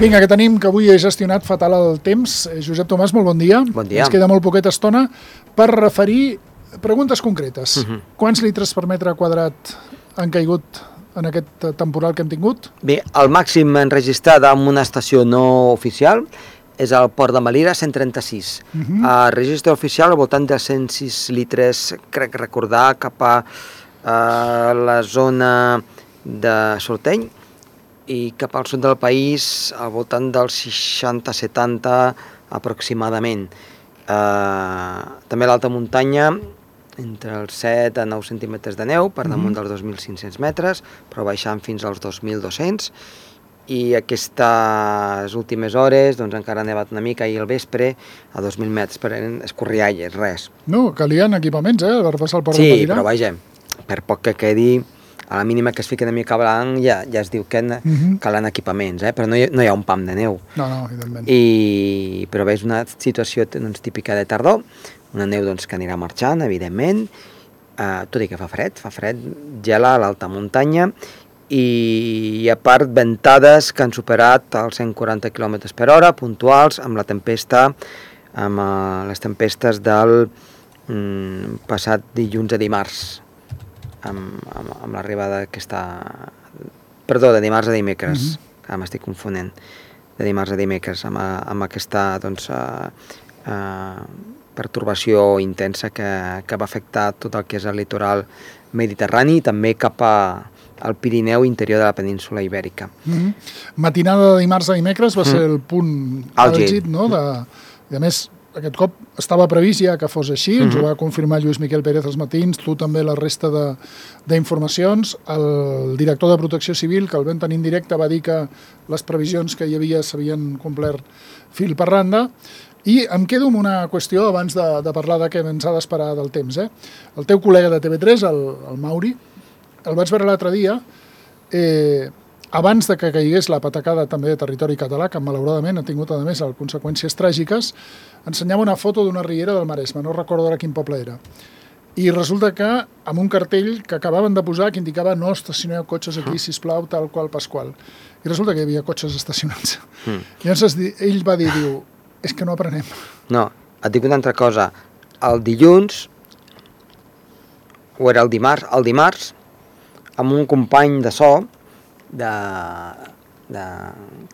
Vinga, que tenim, que avui he gestionat fatal el temps. Josep Tomàs, molt bon dia. Bon dia. Ens queda molt poqueta estona per referir preguntes concretes. Quants litres per metre quadrat han caigut en aquest temporal que hem tingut? Bé, el màxim enregistrat en una estació no oficial és al Port de Melira, 136. El registre oficial al voltant de 106 litres, crec recordar, cap a la zona de Sorteny, i cap al sud del país al voltant dels 60-70 aproximadament. També l'alta muntanya, entre els 7 a 9 centímetres de neu, per damunt dels 2.500 metres, però baixant fins als 2.200, i aquestes últimes hores doncs, encara ha nevat una mica, i al vespre a 2.000 metres, però eren escorrialles, res. No, calien equipaments, per passar el Port de Sí, Melira. però vaja, per poc que quedi, a la mínima que es fiqui una mica blanc ja es diu que calen equipaments, però no hi ha un pam de neu. No, evidentment. Però bé, és una situació doncs, típica de tardor, una neu doncs, que anirà marxant, evidentment, tot i que fa fred, gela a l'alta muntanya, i a part ventades que han superat els 140 km per hora, puntuals, amb la tempesta, amb les tempestes del passat dilluns a dimarts, amb l'arribada d'aquesta... Perdó, de dimarts a dimecres, que m'estic confonent, de dimarts a dimecres, amb aquesta doncs, pertorbació intensa que va afectar tot el que és el litoral mediterrani i també cap al Pirineu interior de la península Ibèrica. Matinada de dimarts a dimecres va ser el punt àlgid, no? I a més, aquest cop estava previst ja que fos així, ens ho va confirmar Lluís Miquel Pérez als matins, tu també la resta d'informacions. El director de Protecció Civil, que el vam tenir en directe, va dir que les previsions que hi havia s'havien complert fil per randa. I em quedo amb una qüestió abans de parlar de què ens ha d'esperar del temps. El teu col·lega de TV3, el Mauri, el vaig veure l'altre dia, abans de que caigués la patacada també de territori català, que malauradament ha tingut a més conseqüències tràgiques, ensenyava una foto d'una riera del Maresme, no recordo ara quin poble era. I resulta que amb un cartell que acabaven de posar que indicava no estacioneu cotxes aquí, sisplau, tal qual Pasqual. I resulta que hi havia cotxes estacionats. Llavors ell va dir, és que no aprenem. No, et dic una altra cosa. El dilluns, o era el dimarts, amb un company de so,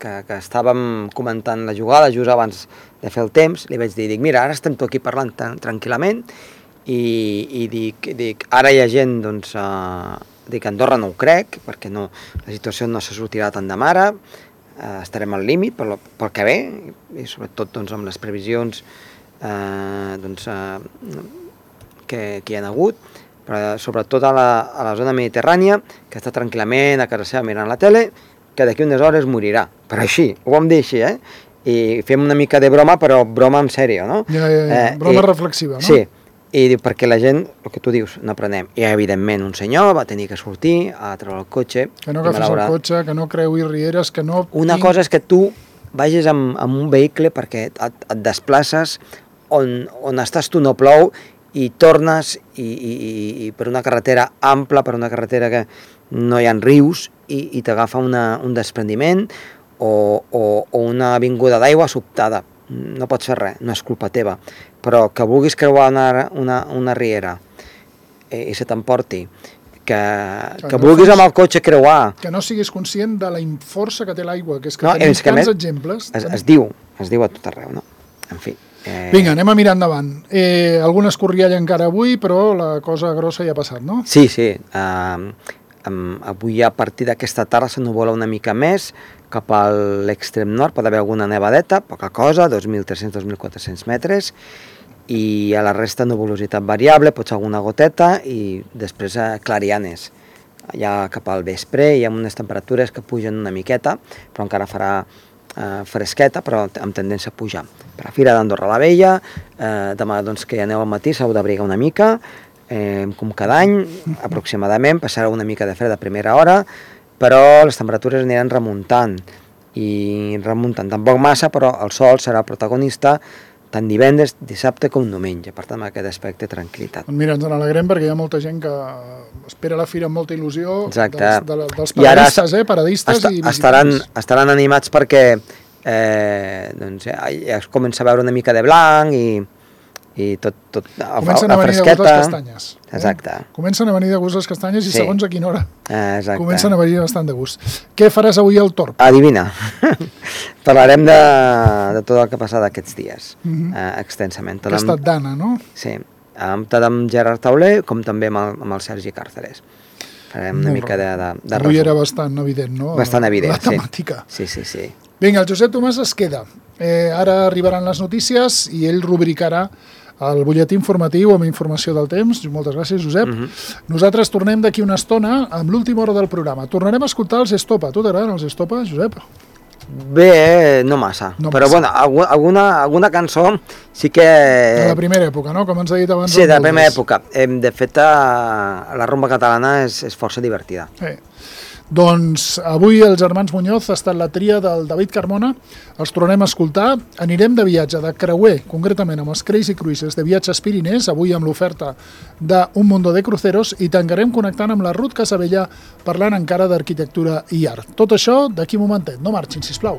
que estàvem comentant la jugada just abans de fer el temps, li vaig dir, mira, ara estem tot aquí parlant tranquil·lament, i dic, ara hi ha gent, doncs, dic, a Andorra no ho crec, perquè la situació no se sortirà tant de mare, estarem al límit pel que ve, i sobretot doncs, amb les previsions que hi ha hagut, però sobretot a la zona mediterrània, que està tranquil·lament a casa seva mirant la tele, que d'aquí unes hores morirà. Però així, ho vam dir així, I fem una mica de broma, però broma en sèrio, no? Broma reflexiva, no? Sí, i perquè la gent, el que tu dius, no aprenem. I evidentment un senyor va tenir que sortir a treure el cotxe. Que no agafis el cotxe, que no creuis rieres, que no... Una cosa és que tu vagis amb un vehicle perquè et desplaces on estàs tu no plou, i tornes i per una carretera ampla, per una carretera que no hi ha rius, i t'agafa un desprendiment o una avinguda d'aigua sobtada. No pots fer res, no és culpa teva. Però que vulguis creuar una riera i se t'emporti, que vulguis amb el cotxe creuar... Que no siguis conscient de la força que té l'aigua, que és que tenim tants exemples... Es diu a tot arreu, no? En fi... Vinga, anem a mirar endavant. Alguna escorrialla encara avui, però la cosa grossa ja ha passat, no? Sí. Avui a partir d'aquesta tarda s'ennuvola una mica més cap a l'extrem nord, pot haver alguna nevadeta, poca cosa, 2.300-2.400 metres, i a la resta nuvolositat variable, pot ser alguna goteta, i després clarianes. Ja cap al vespre hi ha unes temperatures que pugen una miqueta, però encara farà fresqueta, però amb tendència a pujar. Per la Fira d'Andorra la Vella, demà doncs, que hi ha neu al matí, s'hau d'abrigar una mica, com cada any, aproximadament, passarà una mica de fred a primera hora, però les temperatures aniran remuntant, tampoc massa, però el sol serà protagonista tant divendres, dissabte com diumenge. Per tant, amb aquest aspecte, tranquil·litat. Mira, ens n'alegrem perquè hi ha molta gent que espera la fira amb molta il·lusió. Exacte. Dels paradistes, paradistes i visitants. Estaran animats perquè ja es comença a veure una mica de blanc i tot comencen la a venir fresqueta. de gust les castanyes. Exacte. Comencen a venir de gust les castanyes i segons a quina hora comencen a venir bastant de gust. Què faràs avui al Torb? Adivina. Parlarem de tot el que ha passat aquests dies, extensament. Que ha estat d'Anna, no? Sí, tant amb Gerard Tauler com també amb el Sergi Càrceres. Farem una mica de avui era bastant evident, no? Bastant evident, la temàtica. Sí. Vinga, el Josep Tomàs es queda. Ara arribaran les notícies i ell rubricarà el butlletí informatiu amb informació del temps. Moltes gràcies, Josep. Nosaltres tornem d'aquí una estona amb l'última hora del programa. Tornarem a escoltar els Estopa. Tu t'agraden els Estopa, Josep? Bé, no massa. Però bueno, alguna cançó sí que... De la primera època, no? Com ens ha dit abans. Sí, de la primera època. De fet, la rumba catalana és força divertida. Doncs avui els germans Muñoz ha estat la tria del David Carmona, els tornem a escoltar, anirem de viatge de creuer, concretament amb els Crazy Cruises de Viatges Pirinès, avui amb l'oferta d'Un Mundo de Cruceros, i tancarem connectant amb la Ruth Casabella parlant encara d'arquitectura i art. Tot això d'aquí un momentet, no marxin, sisplau.